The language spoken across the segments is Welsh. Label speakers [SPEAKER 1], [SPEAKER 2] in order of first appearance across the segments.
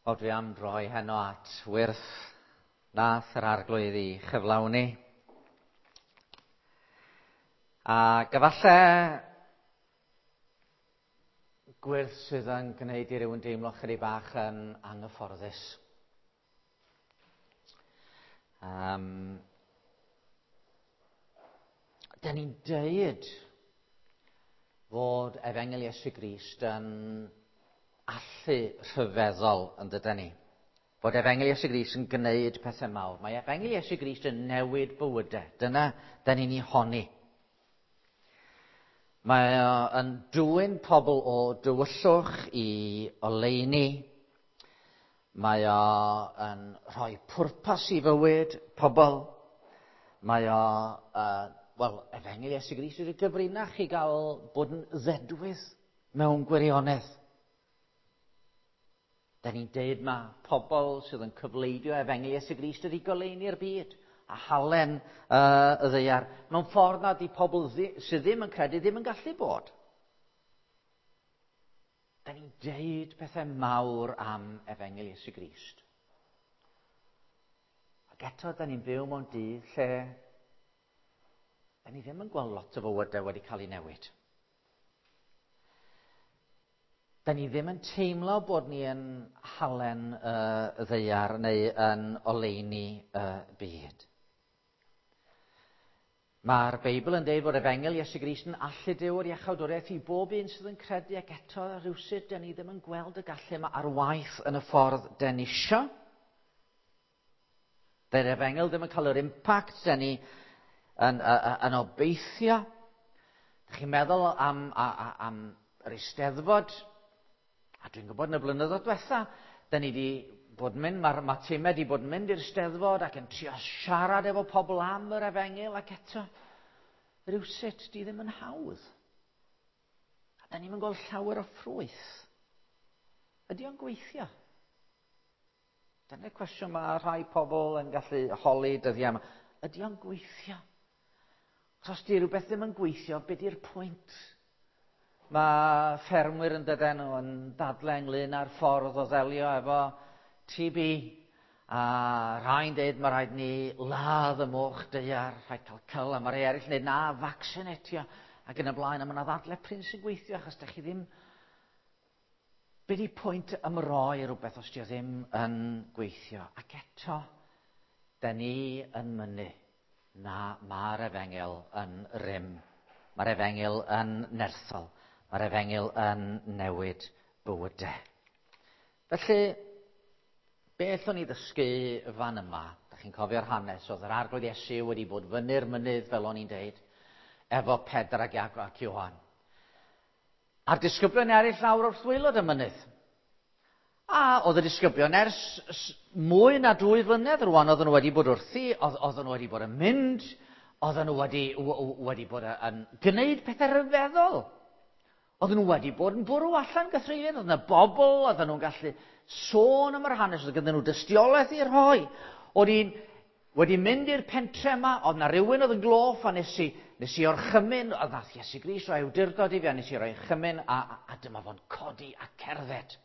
[SPEAKER 1] O, dwi am droi heno at wyrth nath yr arglwydd i chyflawni. A gyfalle gwyrth sydd yn gwneud i rywun deimlo chydig bach yn anghyfforddus. Um, da ni'n deud fod Efengyl Iesu Grist yn allu rhyfeddol yn dydyn ni. Bod Efengyl Iesu Grist yn gwneud pethau mawr. Mae Efengyl Iesu Grist yn newid bywydau. Dyna da ni'n ei honni. Mae o yn dwyn pobl o dywyllwch i oleuni. Mae o yn rhoi pwrpas i fywyd pobl. Mae o, uh, wel, Efengyl Iesu Grist yw'r gyfrinach i gael bod yn ddedwydd mewn gwirionedd. Da ni'n deud ma pobl sydd yn cyfleidio Efengyl Iesu Grist ydi goleuni'r byd a halen uh, y ddeiar mewn ffordd nad di pobl ddi, sydd ddim yn credu ddim yn gallu bod. Da ni'n deud pethau mawr am Efengyl Iesu Grist. Ac eto, da ni'n byw mewn dydd lle da ni ddim yn gweld lot o fywydau wedi cael ei newid. Da ni ddim yn teimlo bod ni yn halen y ddaear neu yn oleuni y byd. Mae'r Beibl yn dweud bod Efengyl Iesu Grist yn allu Duw yr iachawdwriaeth i bob un sydd yn credu ac eto rhywsut da ni ddim yn gweld y gallu yma ar waith yn y ffordd da ni isio. Dy'r Efengyl ddim yn cael yr impact da ni yn, yn, yn obeithio. Dych chi'n meddwl am, am, am yr Eisteddfod, a dwi'n gwybod yn y blynyddoedd diwetha, da ni wedi bod yn mynd, mae'r ma timau wedi bod yn mynd i'r Steddfod ac yn trio siarad efo pobl am yr efengyl ac eto, rhywsut, di ddim yn hawdd. A da ni'n gweld llawer o ffrwyth. Ydy o'n gweithio? Dyna'r cwestiwn mae rhai pobl yn gallu holi dyddiau yma. Ydy o'n gweithio? Os di rhywbeth ddim yn gweithio, be di'r pwynt? Mae ffermwyr yn dydyn nhw yn dadle ynglyn â'r ffordd o ddelio efo TB. A rhai'n dweud mae rhaid ni ladd y moch daear, rhaid cael cyl, a mae rhai eraill yn dweud na, vaccinatio, ac yn y blaen, a mae yna ddadle prin sy'n gweithio, achos da chi ddim Be di pwynt ymroi rhywbeth os di o ddim yn gweithio? Ac eto, da ni yn mynnu na mae'r efengyl yn rym. Mae'r efengyl yn nerthol. Mae'r efengyl yn newid bywydau. Felly, be allwn ni ddysgu fan yma? Da chi'n cofio'r hanes, oedd yr arglwydd Iesu wedi bod fyny'r mynydd, fel o'n i'n deud, efo Pedr ac Iago ac Ioan. A'r disgyblion eraill lawr wrth waelod y mynydd. A oedd y disgyblion ers mwy na dwy flynedd rwan oedden nhw wedi bod wrthi, oedden nhw wedi bod yn mynd, oedden nhw wedi, wedi bod yn gwneud pethau rhyfeddol. Oedden nhw wedi bod yn bwrw allan gythreulydd, oedd yna bobl, oedden nhw'n gallu sôn am yr hanes, oedd gyda nhw dystiolaeth i rhoi. Oedd un Wedi mynd i'r pentre yma, oedd na rywun oedd yn gloff a nes i, nes i orchymyn, oedd nath Iesu Grist roi awdurdod i fi a nes i roi chymyn a, a, a dyma fo'n codi a cerdded.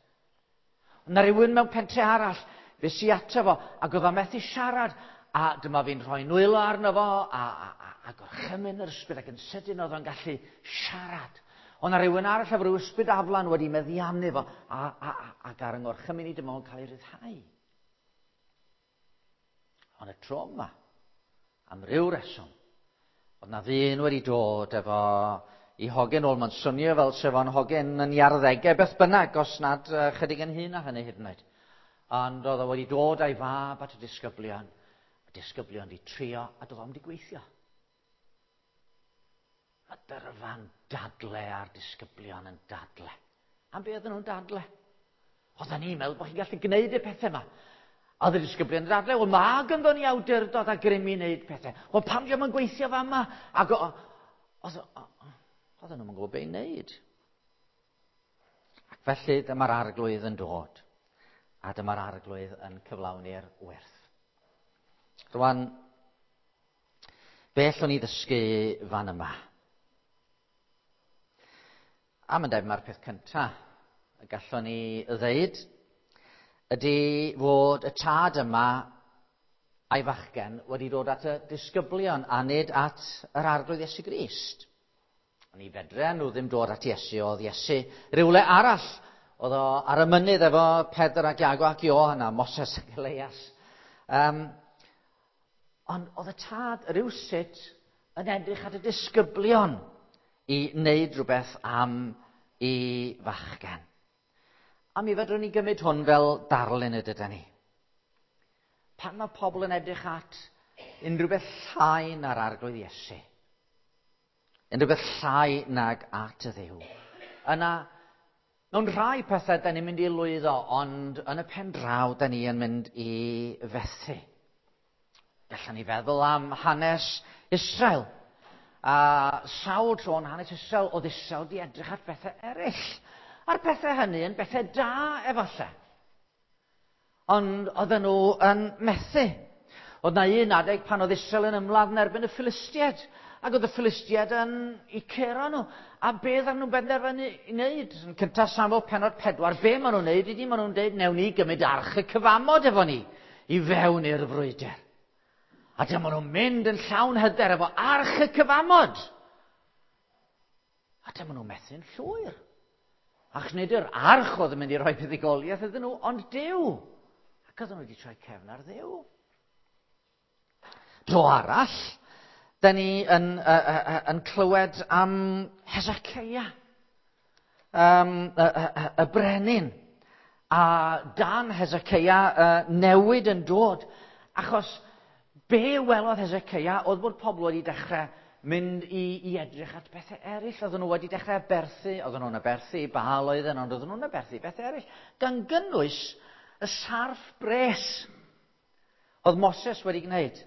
[SPEAKER 1] Oedd na rywun mewn pentre arall, fe si ato fo ac oedd o methu siarad a dyma fi'n rhoi nwylo arno fo a, a, a, a gorchymyn yr ysbryd ac yn sydyn oedd o'n gallu siarad. Oedd na rywun arall efo rhyw ysbryd aflan wedi meddiannu fo a, a, a, ac ar yng ngorchymyn i dyma fo'n cael ei ryddhau. Ond y tro yma, am ryw reswm, oedd na ddyn wedi dod efo i hogyn ôl. Mae'n swnio fel sef o'n hogyn yn ei arddegau beth bynnag, os nad chydig yn hŷn na hynny hyd yn oed. Ond oedd o wedi dod a'i fab at y disgyblion. Y disgyblion wedi trio a doedd o'm wedi gweithio. Mae dyrfa'n dadle a'r disgyblion yn dadle. Am be oedden nhw'n dadle? Oedden ni'n meddwl bod chi'n gallu gwneud y pethau yma. A oedd y disgyblion yn dadle, wel mae gynddo ni awdurdod a grym i wneud pethau. Wel pam diolch yn gweithio fa yma? Ac oedden nhw'n gwybod beth i wneud. Ac felly dyma'r arglwydd yn dod. A dyma'r arglwydd yn cyflawni'r werth. Rwan, Be allwn ni ddysgu fan yma? A mae'n debyg mae'r peth cyntaf y gallwn ni ddeud ydy fod y tad yma a'i fachgen wedi dod at y disgyblion a nid at yr Arglwydd Iesu Grist. Ond i fedre nhw ddim dod at Iesu, oedd Iesu rywle arall. Oedd o ar y mynydd efo Pedr ac Iago ac Ioan a Moses ac Elias. Ond oedd y tad rywsut yn edrych at y disgyblion i wneud rhywbeth am i fachgen. A mi fedrwn ni gymryd hwn fel darlun y dyda ni. Pan mae pobl yn edrych at unrhyw beth llai na'r Arglwydd Iesu, unrhyw beth llai nag at y Dduw, yna, mewn rhai pethau, da ni'n mynd i lwyddo, ond yn y pen draw, da ni yn mynd i fethu. Gallwn ni feddwl am hanes Israel. A sawl tro yn hanes Israel, oedd Israel di edrych at bethau eraill. A'r pethau hynny yn bethau da, efallai. Ond oedden nhw yn methu. Oedd na un adeg pan oedd Israel yn ymladd yn erbyn y Philistiaid. Ac oedd y Philistiaid yn eu curo nhw. A be oedden nhw'n benderfynu i wneud? Yn cyntaf Samuel pennod 4, be maen nhw'n wneud ydy maen nhw'n dweud, newn ni gymryd arch y cyfamod efo ni i fewn i'r frwydr. A dyma nhw'n mynd yn llawn hyder efo arch y cyfamod. A dyma nhw'n methu'n llwyr. Ac nid yr arch oedd yn mynd i roi buddugoliaeth iddyn nhw, ond Duw. Ac oedden nhw wedi troi cefn ar Dduw. Dro arall, da ni yn clywed am Hezekiah, y brenin. A dan Hezekiah newid yn dod, achos be welodd Hezekiah oedd bod pobl wedi dechrau mynd i edrych at bethau eraill. Oedden nhw wedi dechrau aberthu, oedden nhw'n aberthu i Baal oedden, ond oedden nhw'n aberthu bethau eraill, gan gynnwys y sarff bres oedd Moses wedi gwneud.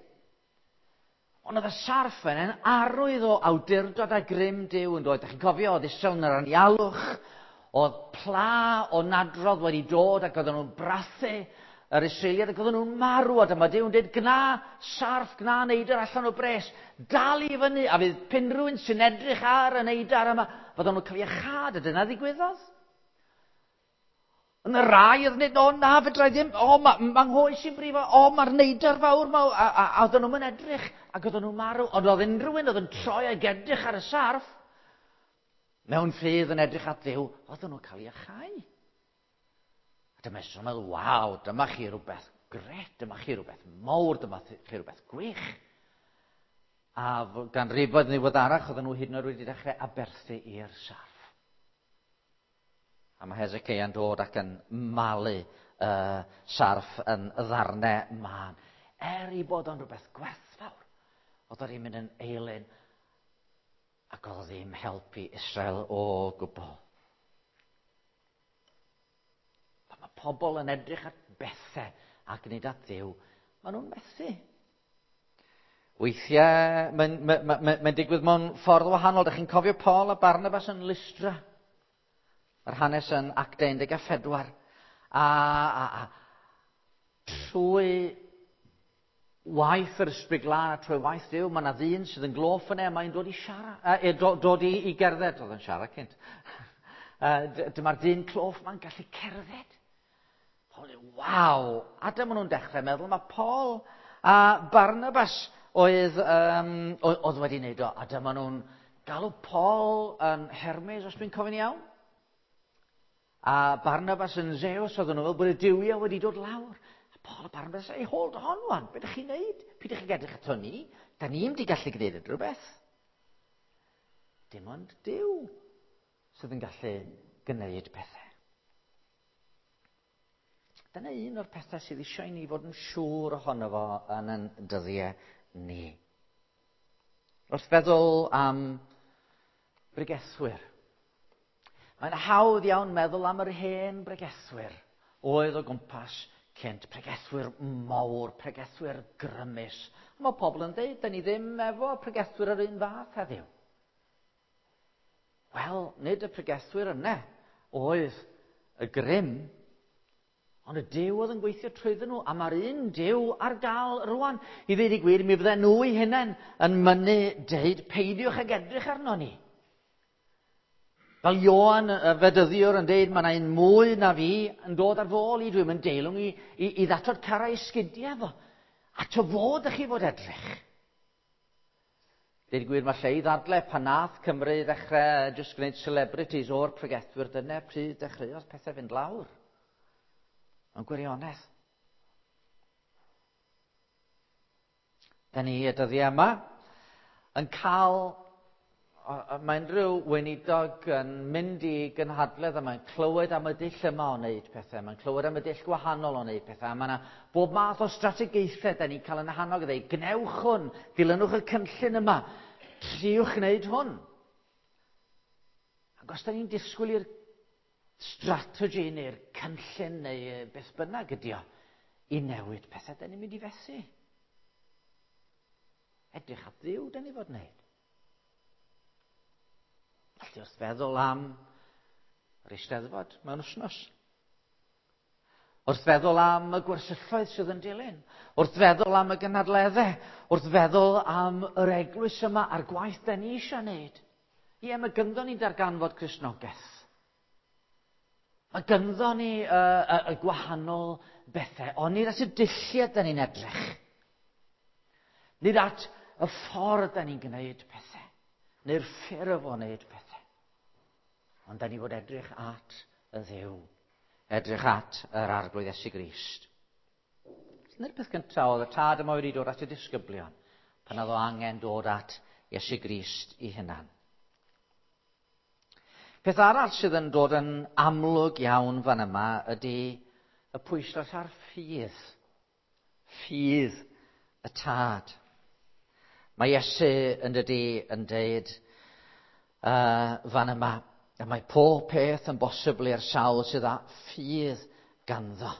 [SPEAKER 1] Ond oedd y sarff yn arwydd o awdurdod a grym Duw yn dod. Dach chi'n cofio, oedd Israel yn yr anialwch, oedd pla o nadrodd wedi dod ac oedden nhw'n brathu yr Israeliaid ac oedden nhw'n marw, a dyma Duw yn dweud, gna sarff, gna neidr allan o bres, dal i fyny, a fydd unrhyw un sy'n edrych ar y neidr yma, fydden nhw'n cael iachâd, a dyna ddigwyddodd. Yn y rai oedd yn dweud, o na, fedra i ddim, o, mae ma nghoes i'n brifo, o, mae'r neidr fawr ma, a oedden nhw'n edrych, ac oedden nhw'n marw, ond oedd unrhyw un oedd yn troi ag edrych ar y sarff, mewn ffydd yn edrych at Dduw, oedden nhw'n cael iachau. A dyma Israel yn meddwl, waw, dyma chi rhywbeth gret, dyma chi rhywbeth mawr, dyma chi rhywbeth gwych. A ganrifoedd yn ddiweddarach, oedden nhw hyd yn oed wedi dechrau aberthu i'r sarff. A mae Hezekiah yn dod ac yn malu y sarff yn ddarnau mân. Er i bod o'n rhywbeth gwerthfawr, oedd o ddim mynd yn eilun ac oedd o ddim helpu Israel o gwbl. Pan mae pobl yn edrych at bethau ac nid at Dduw, maen nhw'n methu. Weithiau, mae'n mae digwydd mewn ffordd wahanol. Dych chi'n cofio Paul a Barnabas yn Lystra? Mae'r hanes yn Actau 14. A trwy waith yr Ysbryd Glân a trwy waith Duw, mae yna ddyn sydd yn gloff yna, a mae'n dod i siarad, dod i gerdded, oedd yn siarad cynt. Dyma'r dyn cloff ma'n gallu cerdded. Paul yn waw! A dyma nhw'n dechrau meddwl, mae Paul a Barnabas oedd wedi wneud o, a dyma nhw'n galw Paul yn Hermes, os dwi'n cofio'n iawn. A Barnabas yn Zeus, oedden nhw'n fel bod y duwiau wedi dod lawr. A Paul a Barnabas, hey, hold on wan, be ydych chi'n neud? Pidwch chi'n edrych ato ni, da ni'n wedi gallu gwneud unrhyw beth. Dim ond Duw sydd yn gallu gwneud pethau. Dyna un o'r pethau sydd eisiau i ni fod yn siŵr ohono fo yn ein dyddiau ni. Wrth feddwl am bregethwyr, mae'n hawdd iawn meddwl am yr hen bregethwyr oedd o gwmpas cynt, pregethwyr mawr, pregethwyr grymus. A mae pobl yn dweud, da ni ddim efo pregethwyr yr un fath heddiw. Wel, nid y pregethwyr yna oedd y grym, ond y Duw oedd yn gweithio trwyddyn nhw, a mae'r un Duw ar gael rwan. I ddweud y gwir, mi fydden nhw eu hunain yn mynnu deud, peidiwch ag edrych arno ni. Fel Ioan y Fedyddiwr yn deud, mae yna un mwy na fi yn dod ar fy ôl i, dwi'n mynd deilwng i ddatod carau sgidiau fo. A to fod ych chi fod edrych. Deud gwir, mae lle i ddadle pan nath Cymru ddechrau jyst gwneud celebrities o'r pregethwyr, dyna pryd dechreuodd pethau fynd lawr. Mae'n gwirionedd. Da ni y dyddiau yma yn cael, mae unrhyw weinidog yn mynd i gynhadledd a mae'n clywed am y dull yma o wneud pethau, mae'n clywed am y dull gwahanol o wneud pethau, a mae yna bob math o strategaethau da ni'n cael yn hannog i ddweud, gnewch hwn, dilynwch y cynllun yma, triwch wneud hwn. Ac os da ni'n disgwyl i'r strategy neu'r cynllun neu beth bynnag ydi o, i newid pethau, da ni'n mynd i fethu. Edrych at Dduw, da ni fod wneud. Felly wrth feddwl am yr Eisteddfod mewn wythnos, wrth feddwl am y gwersylloedd sydd yn dilyn, wrth feddwl am y gynadleddau, wrth feddwl am yr eglwys yma a'r gwaith da ni eisiau wneud. Ie, mae gynddo ni darganfod Cristnogaeth. Mae gynddo ni y gwahanol bethau, ond nid at y dulliau da ni'n edrych. Nid at y ffordd da ni'n gwneud pethau, neu'r ffurf o wneud pethau. Ond da ni fod edrych at y Dduw, edrych at yr Arglwydd Iesu Grist. Dyna'r peth cyntaf oedd y tad yma wedi dod at y disgyblion, pan oedd o angen dod at Iesu Grist i hunan. Peth arall sydd yn dod yn amlwg iawn fan yma ydy y pwyslais ar ffydd. Ffydd y tad. Mae Iesu yn dydi yn deud fan yma, a mae pob peth yn bosibl i'r sawl sydd â ffydd ganddo.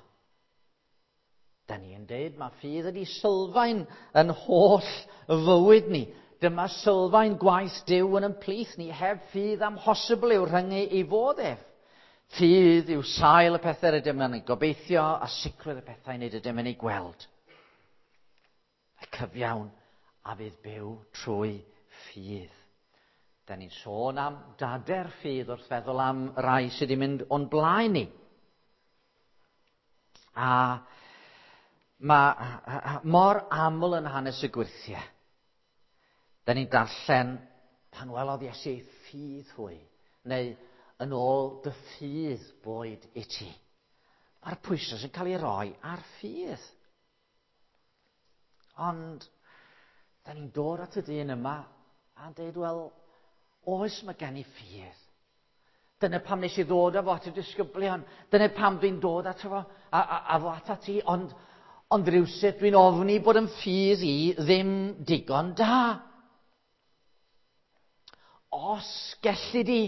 [SPEAKER 1] Da ni yn deud mae ffydd ydi sylfaen yn holl fywyd ni. Dyma sylfaen gwaith Duw yn ymplith ni. Heb ffydd amhosibl yw rhyngu i fod ef. Ffydd yw sail y pethau rydym yn ei gobeithio a sicrwydd y pethau nid ydym yn ei gweld. Y cyfiawn a fydd byw trwy ffydd. Da ni'n sôn am dader ffydd wrth feddwl am rai sydd wedi mynd o'n blaen ni. A mae mor aml yn hanes y gwyrthiau. Da ni'n darllen pan welodd Iesu ei ffydd hwy, neu yn ôl dy ffydd boed i ti. Mae'r pwyslais yn cael ei roi ar ffydd. Ond, da ni'n dod at y dyn yma a'n deud, wel, oes mae gen i ffydd. Dyna pam nes i ddod â fo at y disgyblion. Dyna pam dwi'n dod ato fo, a fo atat ti. Ond rhywsut dwi'n ofni bod yn ffydd i ddim digon da. Os gelli di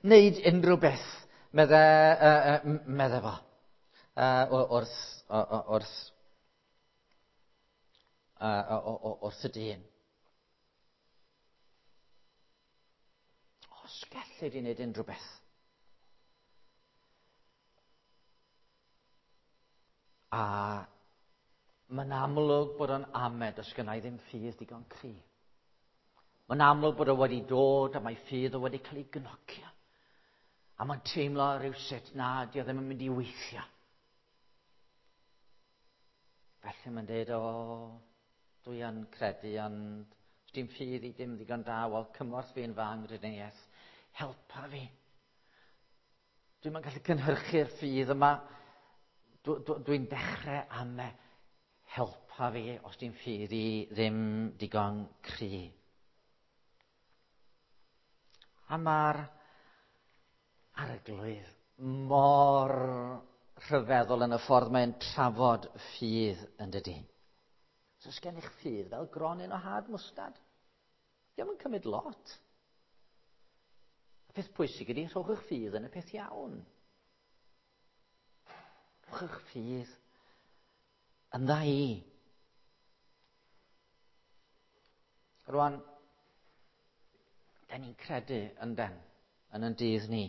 [SPEAKER 1] wneud unrhyw beth, medde fo, wrth y dyn. Os gelli di wneud unrhyw beth. A mae'n amlwg bod o'n amed os gynna i ddim ffydd digon cry. Mae'n amlwg bod o wedi dod a mae ffydd o wedi cael ei gnocio. A mae'n teimlo rhywsut na, di o ddim yn mynd i weithio. Felly mae'n dweud, o, dwi yn credu, ond dim ffydd i dim ddigon da, wel, cymorth fi yn fy angrediniaeth, helpa fi. Dwi'm yn gallu cynhyrchu'r ffydd yma. Dwi'n dechrau am e. Helpa fi os dim ffydd i ddim digon cry. A mae'r Arglwydd mor rhyfeddol yn y ffordd mae'n trafod ffydd yn dydi. Os oes gennych ffydd fel gronyn o had mwstad, dio'm yn cymryd lot. Y peth pwysig ydy, rhowch eich ffydd yn y peth iawn. Rhowch eich ffydd yn dda i. Rwan, da ni'n credu yn den, yn yn dydd ni.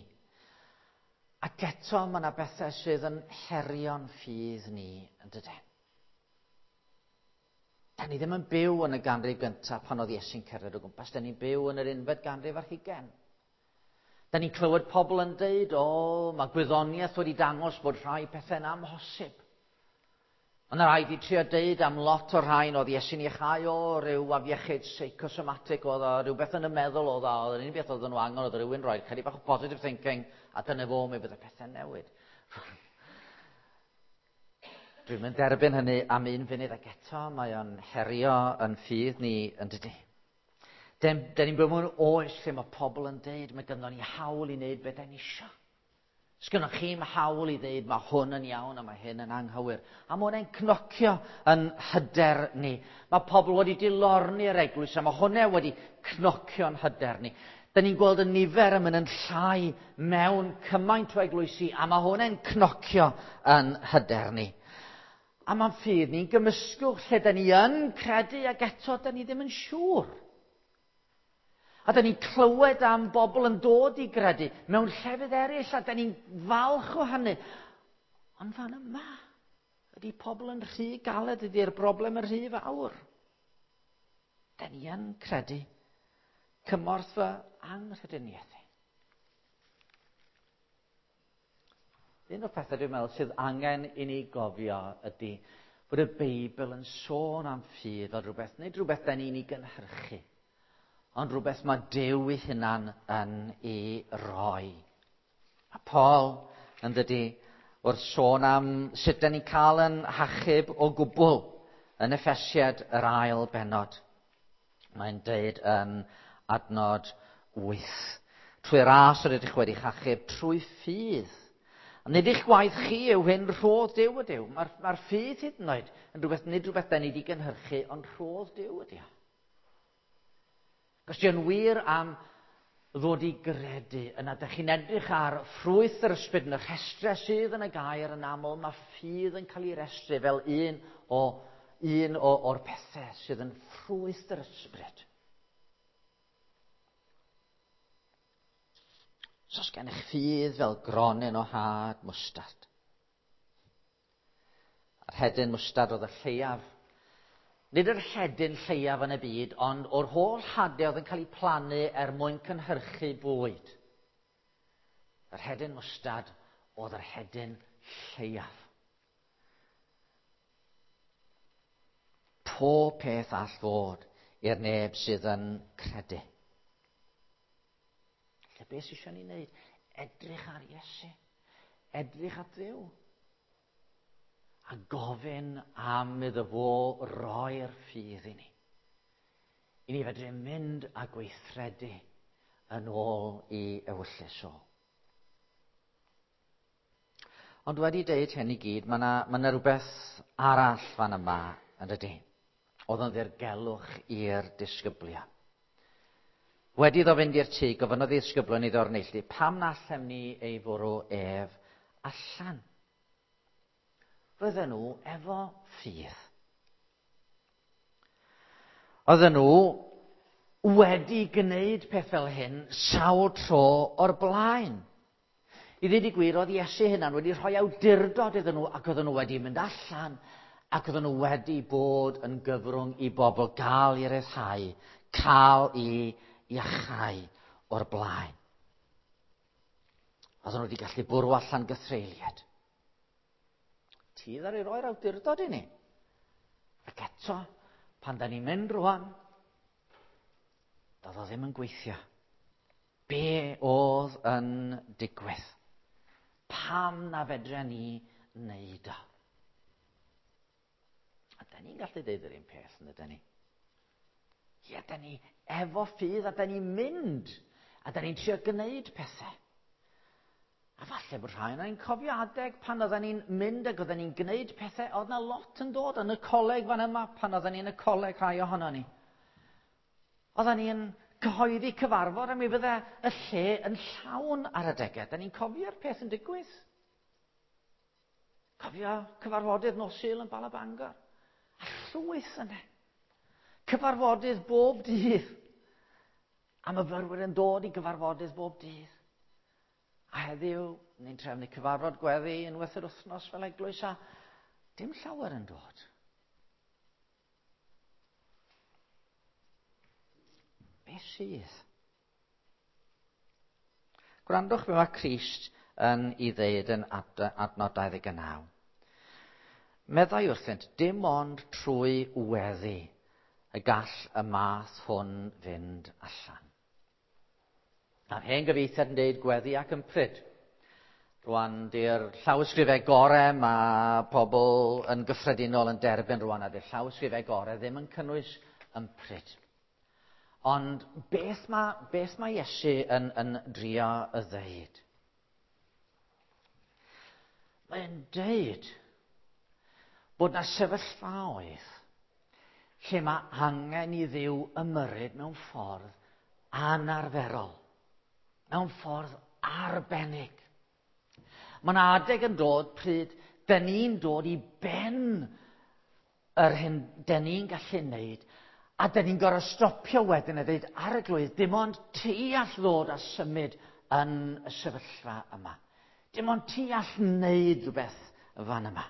[SPEAKER 1] Ac eto mae yna bethau sydd yn herio'n ffydd ni yn dydyn. Da ni ddim yn byw yn y ganrif gyntaf pan oedd Iesu'n cerdded o gwmpas. Da ni'n byw yn yr unfed ganrif ar hugain. Da ni'n clywed pobl yn deud, o, mae gwyddoniaeth wedi dangos bod rhai pethau'n amhosib. Ond rhaid i trio deud am lot o'r rhain oedd Iesu'n iachau o ryw afiechyd seicosomatic oedd o, rhywbeth yn y meddwl oedd o, oedd yr unig beth oedd nhw angen oedd rhywun rhoi chydig bach o positive thinking a dyna fo mi bydd y pethau'n newid. Dwi'n mynd derbyn hynny am un funud ac eto mae o'n herio yn ffydd ni yn dydy. Den, den ni'n byw mewn oes lle mae pobl yn deud mae gynnon ni hawl i wneud beth ni isio. Sgynnoch chi'm hawl i ddeud mae hwn yn iawn a mae hyn yn anghywir. A mae hwnna'n cnocio yn hyder ni. Mae pobl wedi dilorni'r eglwys a mae hwnna wedi cnocio'n hyder ni. Da ni'n gweld y nifer yn mynd yn llai mewn cymaint o eglwysi a mae hwnna'n cnocio yn hyder ni. A mae'n ffydd ni'n gymysgwch lle da ni yn credu ac eto da ni ddim yn siŵr. A da ni'n clywed am bobl yn dod i gredu mewn llefydd eraill a da ni'n falch o hynny. Ond fan yma, ydy pobl yn rhy galed, ydy'r broblem yn rhy fawr. Da ni yn credu cymorth fy anghrediniaeth. Un o'r pethau dwi'n meddwl sydd angen i ni gofio ydy bod y Beibl yn sôn am ffydd fel rhywbeth, nid rhywbeth da ni'n ei gynhyrchu, ond rhywbeth mae Duw ei hunan yn ei roi. A Paul yn dydy wrth sôn am sut da ni'n cael yn hachub o gwbl yn Effesiad yr ail bennod. Mae'n deud yn adnod 8. Trwy ras yr ydych wedi chachub, trwy ffydd. A nid eich gwaith chi yw hyn, rhodd Duw ydyw. Mae'r mae ffydd hyd yn oed yn rhywbeth, nid rhywbeth da ni wedi gynhyrchu, ond rhodd Duw ydy o. Os di o'n wir am ddod i gredu, yna dych chi'n edrych ar ffrwyth yr ysbryd yn y rhestrau sydd yn y gair yn aml, mae ffydd yn cael ei restru fel un, o, un o, o'r pethau sydd yn ffrwyth yr ysbryd. So os gennych ffydd fel gronyn o had mwstard. A'r hedyn mwstard oedd y lleiaf. Nid yr hedyn lleiaf yn y byd, ond o'r holl hadau oedd yn cael eu plannu er mwyn cynhyrchu bwyd. Yr hedyn mwstard oedd yr hedyn lleiaf. Pob peth all fod i'r neb sydd yn credu. Felly beth sydd eisiau ni wneud? Edrych ar Iesu. Edrych at Dduw. A gofyn am iddo fo roi'r ffydd i ni. I ni fedru mynd a gweithredu yn ôl i ewyllys o. Ond wedi deud hyn i gyd, mae yna ma rhywbeth arall fan yma yn dydy. Oedd yn ddirgelwch i'r disgyblion. Wedi iddo fynd i'r tŷ, gofynnodd i ddisgyblion iddo o'r neilltu, pam na allem ni ei fwrw ef allan? Roedden nhw efo ffydd. Oedden nhw wedi gwneud peth fel hyn sawl tro o'r blaen. I ddweud y gwir, oedd Iesu hunan wedi rhoi awdurdod iddyn nhw ac oedden nhw wedi mynd allan ac oedden nhw wedi bod yn gyfrwng i bobl gael i ryddhau, cael i iachau o'r blaen. Oedden nhw wedi gallu bwrw allan gythreuliad. Ti ddaru roi'r awdurdod i ni. Ac eto, pan da ni'n mynd rwan, doedd o ddim yn gweithio. Be oedd yn digwydd? Pam na fedra ni wneud o? A da ni'n gallu deud yr un peth, yn ydyn ni? Ie, da ni efo ffydd a da ni'n mynd a da ni'n trio gwneud pethau. A falle bod rhai yna ni'n cofio adeg pan oedden ni'n mynd ac oedden ni'n gwneud pethau, oedd na lot yn dod yn y coleg fan yma pan oedden ni'n y coleg rhai ohono ni. Oedden ni'n cyhoeddi cyfarfod a mi fydde y lle yn llawn ar adegau. Da ni'n cofio'r peth yn digwydd. Cofio cyfarfodydd nos Sul yn Bala Bangor. A llwyth yna. Cyfarfodydd bob dydd. A myfyrwyr yn dod i gyfarfodydd bob dydd. A heddiw, ni'n trefnu cyfarfod gweddi unwaith yr wythnos fel eglwys a dim llawer yn dod. Be sydd? Gwrandwch be mae Crist yn ei ddeud yn adnod 29. Meddai wrthynt, dim ond trwy weddi y gall y math hwn fynd allan. A'r hen gyfieithiad yn deud gweddi ac ympryd. Rwan, di'r llawysgrifau gorau mae pobl yn gyffredinol yn derbyn rwan, a di'r llawysgrifau gorau ddim yn cynnwys ympryd. Ond beth mae Iesu yn drio y ddeud? Mae'n deud bod na sefyllfaoedd lle mae angen i Dduw ymyrryd mewn ffordd anarferol, mewn ffordd arbennig. Mae yna adeg yn dod pryd dyn ni'n dod i ben yr hyn dyn ni'n gallu wneud, a dyn ni'n gorfod stopio wedyn a dweud, Arglwydd, dim ond ti all ddod a symud yn y sefyllfa yma. Dim ond ti all wneud rhywbeth fan yma.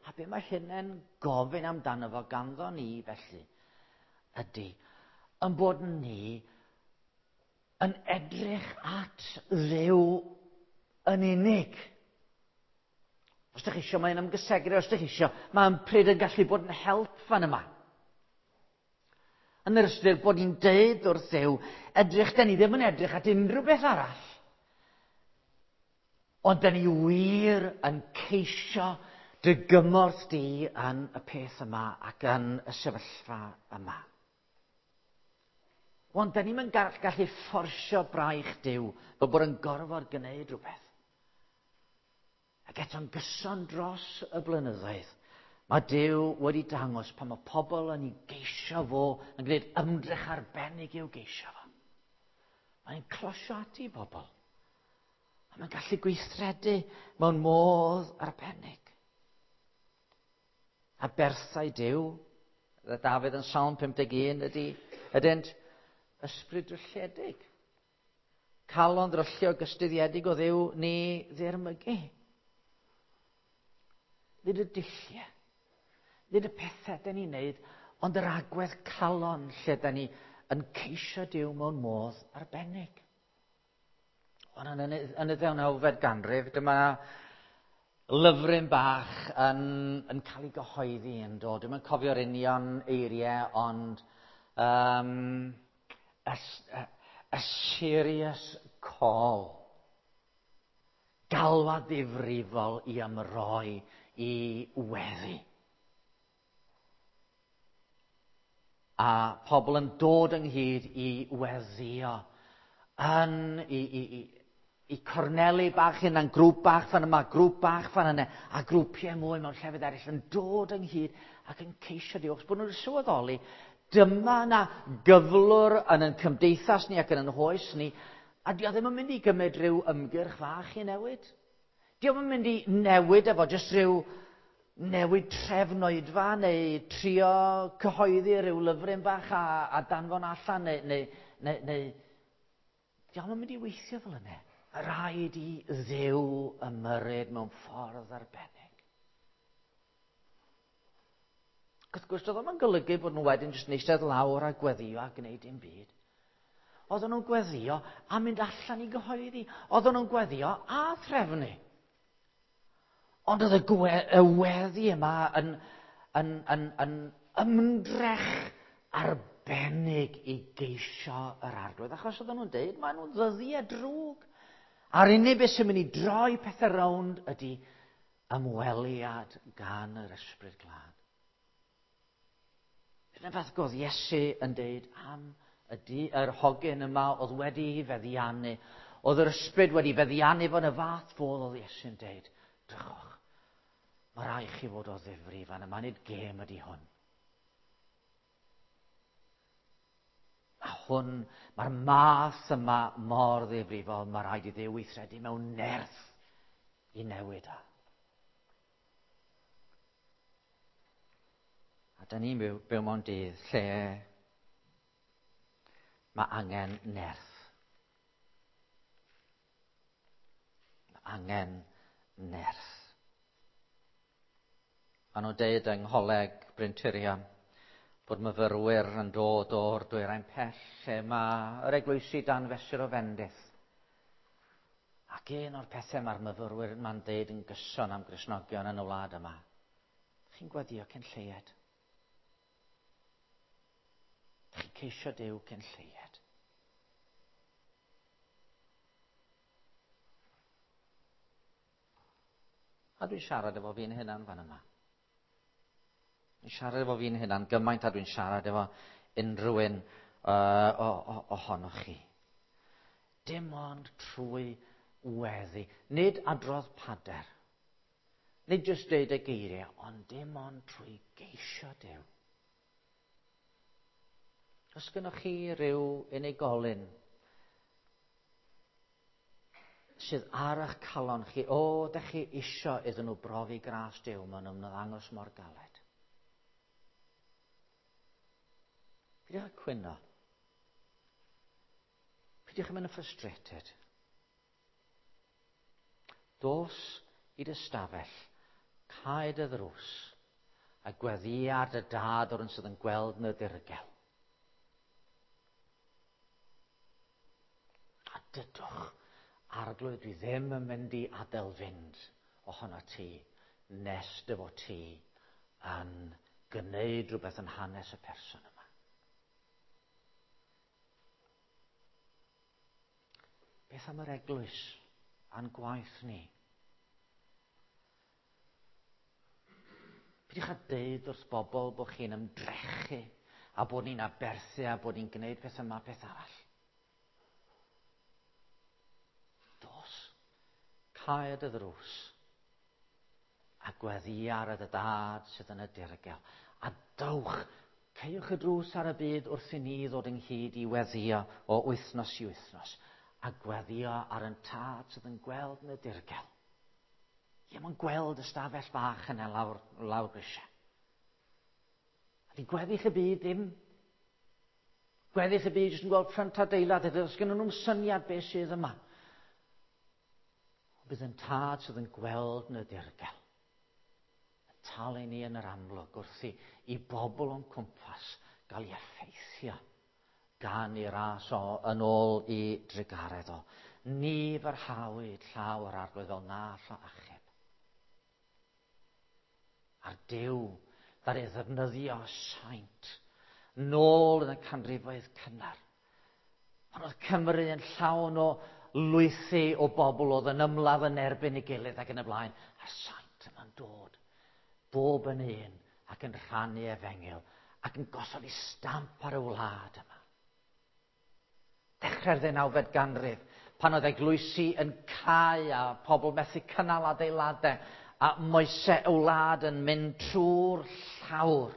[SPEAKER 1] A be mae hynny'n gofyn amdano fo ganddo ni felly ydy yn bod ni yn edrych at Dduw yn unig. Os ydych chi eisiau, mae'n ymgysegru, os ydych chi eisiau, mae'n pryd yn gallu bod yn help fan yma. Yn yr ystyr bod ni'n deud wrth Dduw, edrych, da ni ddim yn edrych at unrhyw beth arall. Ond da ni wir yn ceisio dy gymorth di yn y peth yma ac yn y sefyllfa yma. Ond da ni'n gallu fforsio braich Duw fel bod yn gorfod gwneud rhywbeth. Ac eto'n gyson dros y blynyddoedd, mae Duw wedi dangos pan mae pobl yn ei geisio fo, yn gwneud ymdrech arbennig i'w geisio fo. Mae'n closio ati bobl. A mae'n gallu gweithredu mewn modd arbennig. A berthau Duw, Dafydd yn Salm 51 ydynt ysbryd drylliedig. Calon ddryllio gystuddiedig o Dduw ni ddirmygu. Nid y dulliau, nid y pethau dyn ni'n neud, ond yr agwedd calon lle dyn ni yn ceisio Duw mewn modd arbennig. Ond yn y 19fed ganrif, dyma lyfryn bach yn cael ei gyhoeddi yn dod. Dwi'm yn cofio'r union eiriau, ond a serious call. Galwad ddifrifol i ymroi i weddi. A pobl yn dod ynghyd i weddio yn i corneli bach yna'n grŵp bach fan yma, grŵp bach fan yna, a grwpiau mwy mewn llefydd eraill yn dod ynghyd ac yn ceisio Duw. Achos bod nhw'n sylweddoli, dyma yna gyflwr yn ein cymdeithas ni ac yn ein hoes ni, a dio ddim yn mynd i gymryd rhyw ymgyrch fach i newid. Dio ddim yn mynd i newid efo jyst rhyw newid trefn oedfa neu trio cyhoeddi rhyw lyfryn bach a danfon allan neu dio ddim yn mynd i weithio fel yna. Rhaid i Dduw ymyrryd mewn ffordd arbennig. Wrth gwrs, doedd o'm yn golygu bod nhw wedyn jyst yn eistedd lawr a gweddio a gwneud dim byd. Oedden nhw'n gweddio a mynd allan i gyhoeddi. Oedden nhw'n gweddio a threfnu. Ond oedd y weddi yma yn ymdrech arbennig i geisio yr Arglwydd. Achos oedden nhw'n deud, maen nhw'n ddyddiau drwg. A'r unig beth sy'n mynd i droi pethau rownd ydy ymweliad gan yr Ysbryd Glân. Dyna fath godd Iesu yn deud am yr hogyn yma oedd wedi feddiannu. Oedd yr ysbryd wedi feddiannu fo'n y fath fodd oedd Iesu'n deud, drychwch, mae rhaid chi fod o ddifri fan yma, nid gêm ydy hwn. A hwn, mae'r math yma mor ddifrifol, mae rhaid i Dduw weithredu mewn nerth i newid o. A da ni'n byw mewn dydd lle mae angen nerth. Mae angen nerth. Maen nhw'n deud yng Ngholeg Bryntirion Bod myfyrwyr yn dod o'r dwyrain pell lle mae yr eglwysi dan fesur o fendith. Ac un o'r pethau mae'r myfyrwyr yma'n deud yn gyson am Gristnogion yn y wlad yma. Chi'n gweddio cyn lleied. Chi'n ceisio Duw cyn lleied. A dwi'n siarad efo fi'n hunan fan yma. Dwi'n siarad efo fi'n hunan gymaint a dwi'n siarad efo unrhyw un ohonoch chi. Dim ond trwy weddi. Nid adrodd pader. Nid jyst deud y geiriau, ond dim ond trwy geisio Duw. Os gynnwch chi ryw unigolyn sydd ar eich calon chi, o, da chi isio iddyn nhw brofi gras Duw, maen nhw'n ymddangos mor galed. Peidiwch â cwyno. Peidiwch â mynd yn frustrated. Dos i dy stafell, cau dy ddrws, a gweddïa ar dy dad o'r un sydd yn gweld yn y dirgel. A dydwch, Arglwydd, dwi ddim yn mynd i adael fynd ohono ti nes dy fod ti yn gwneud rhywbeth yn hanes y person yma. Beth am yr eglwys a'n gwaith ni? Peidiwch â deud wrth bobl bod chi'n ymdrechu a bod ni'n aberthu a bod ni'n gwneud peth yma, peth arall. Dos, cau dy ddrws a gweddia ar y dad sydd yn y dirgel. A dowch, caewch y drws ar y byd wrth i ni ddod ynghyd i weddio o wythnos i wythnos. A gweddio ar yn tad sydd yn gweld yn y dirgel. Ie, mae'n gweld y stafell fach yna lawr, lawr grisiau. A di gweddill y byd ddim. Gweddill y byd jyst yn gweld ffrynt adeilad, a does gen nhw'n syniad beth sydd yma. Ond bydd yn tad sydd yn gweld yn y dirgel. Yn talu ni yn yr amlwg wrth i, i bobl o'n cwmpas gael ei effeithio gan ei ras o yn ôl i drugaredd o. Ni fyrhawyd llaw yr arglwydd fel na allo achub. A'r Duw ddaru ddefnyddio saint nôl yn y canrifoedd cynnar. Pan oedd Cymru yn llawn o lwythi o bobl oedd yn ymladd yn erbyn ei gilydd ac yn y blaen. A'r saint yma'n dod bob yn un ac yn rhannu efengyl ac yn gosod ei stamp ar y wlad yma. Dechrau'r ddeunawfed ganrif, pan oedd eglwysi yn cau a pobl methu cynnal adeiladau a moesau y wlad yn mynd trwy'r llawr.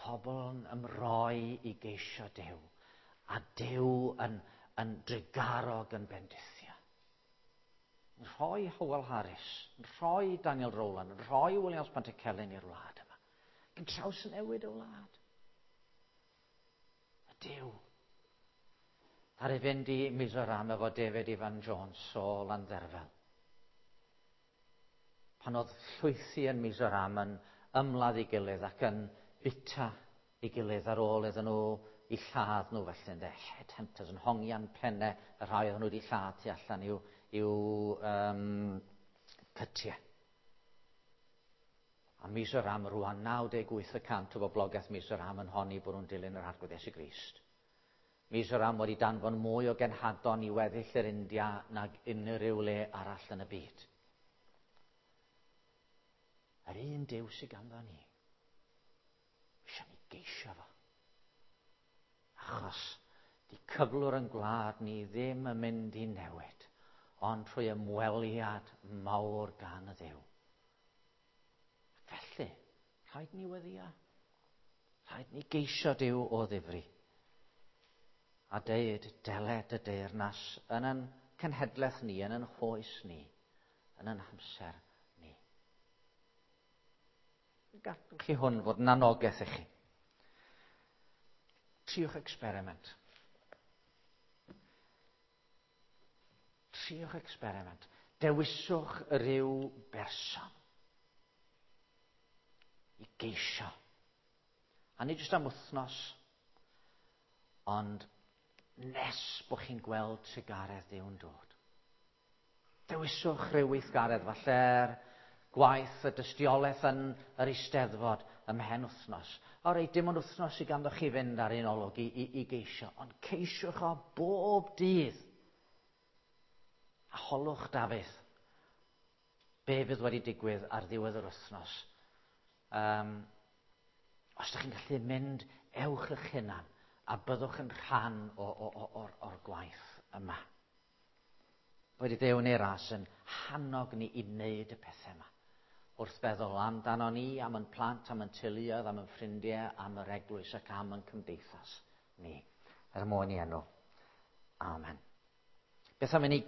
[SPEAKER 1] Pobl yn ymroi i geisio Duw, a Duw yn, yn drugarog yn bendithio. Yn rhoi Howell Harris, yn rhoi Daniel Rowland, yn rhoi Williams Pantycelyn i'r wlad yma. Ac yn trawsnewid y wlad. Y Duw. Ddaru fynd i Mizoram efo David Ifan Jones o Landderfel. Pan oedd llwythi yn Mizoram yn ymladd ei gilydd ac yn bita ei gilydd ar ôl iddyn nhw i lladd nhw felly ynde. Headhunters yn hongian pennau y rhai oedden nhw wedi lladd tu allan i'w, i'w cytiau. A Mizoram rwan 98% o boblogaeth Mizoram yn honni bod nhw'n dilyn yr Arglwydd Iesu Grist. Mizoram wedi danfon mwy o genhadon i weddill yr India nag unrhyw le arall yn y byd. Yr un Duw sydd ganddo ni. Eisiau ni geisio fo. Achos di cyflwr yn gwlad ni ddim yn mynd i newid, ond trwy ymweliad mawr gan y Dduw. Ac felly, rhaid ni weddio. Rhaid ni geisio Duw o ddifri. A deud, deled y deyrnas yn ein cenhedlaeth ni, yn ein hoes ni, yn ein hamser ni. Gadwch chi hwn fod yn anogaeth i chi. Triwch experiment. Triwch experiment. Dewiswch rhyw berson. I geisio. A nid jyst am wythnos, ond nes bod chi'n gweld trugaredd Duw'n dod. Dewiswch rhyw weithgaredd, falle'r gwaith, y dystiolaeth yn yr Eisteddfod ymhen wythnos. O reit, dim ond wythnos i ganddo chi fynd ar un olwg i geisio, ond ceisiwch o bob dydd. A holwch Dafydd, be fydd wedi digwydd ar ddiwedd yr wythnos. Os ydych chi'n gallu mynd, ewch eich hunan a byddwch yn rhan o'r gwaith yma. Wedi Duw yn ei ras yn hannog ni i wneud y pethau yma. Wrth feddwl amdano ni, am yn plant, am yn teuluoedd, am yn ffrindiau, am yr eglwys ac am yn cymdeithas ni. Er mwyn i enw. Amen. Beth am i ni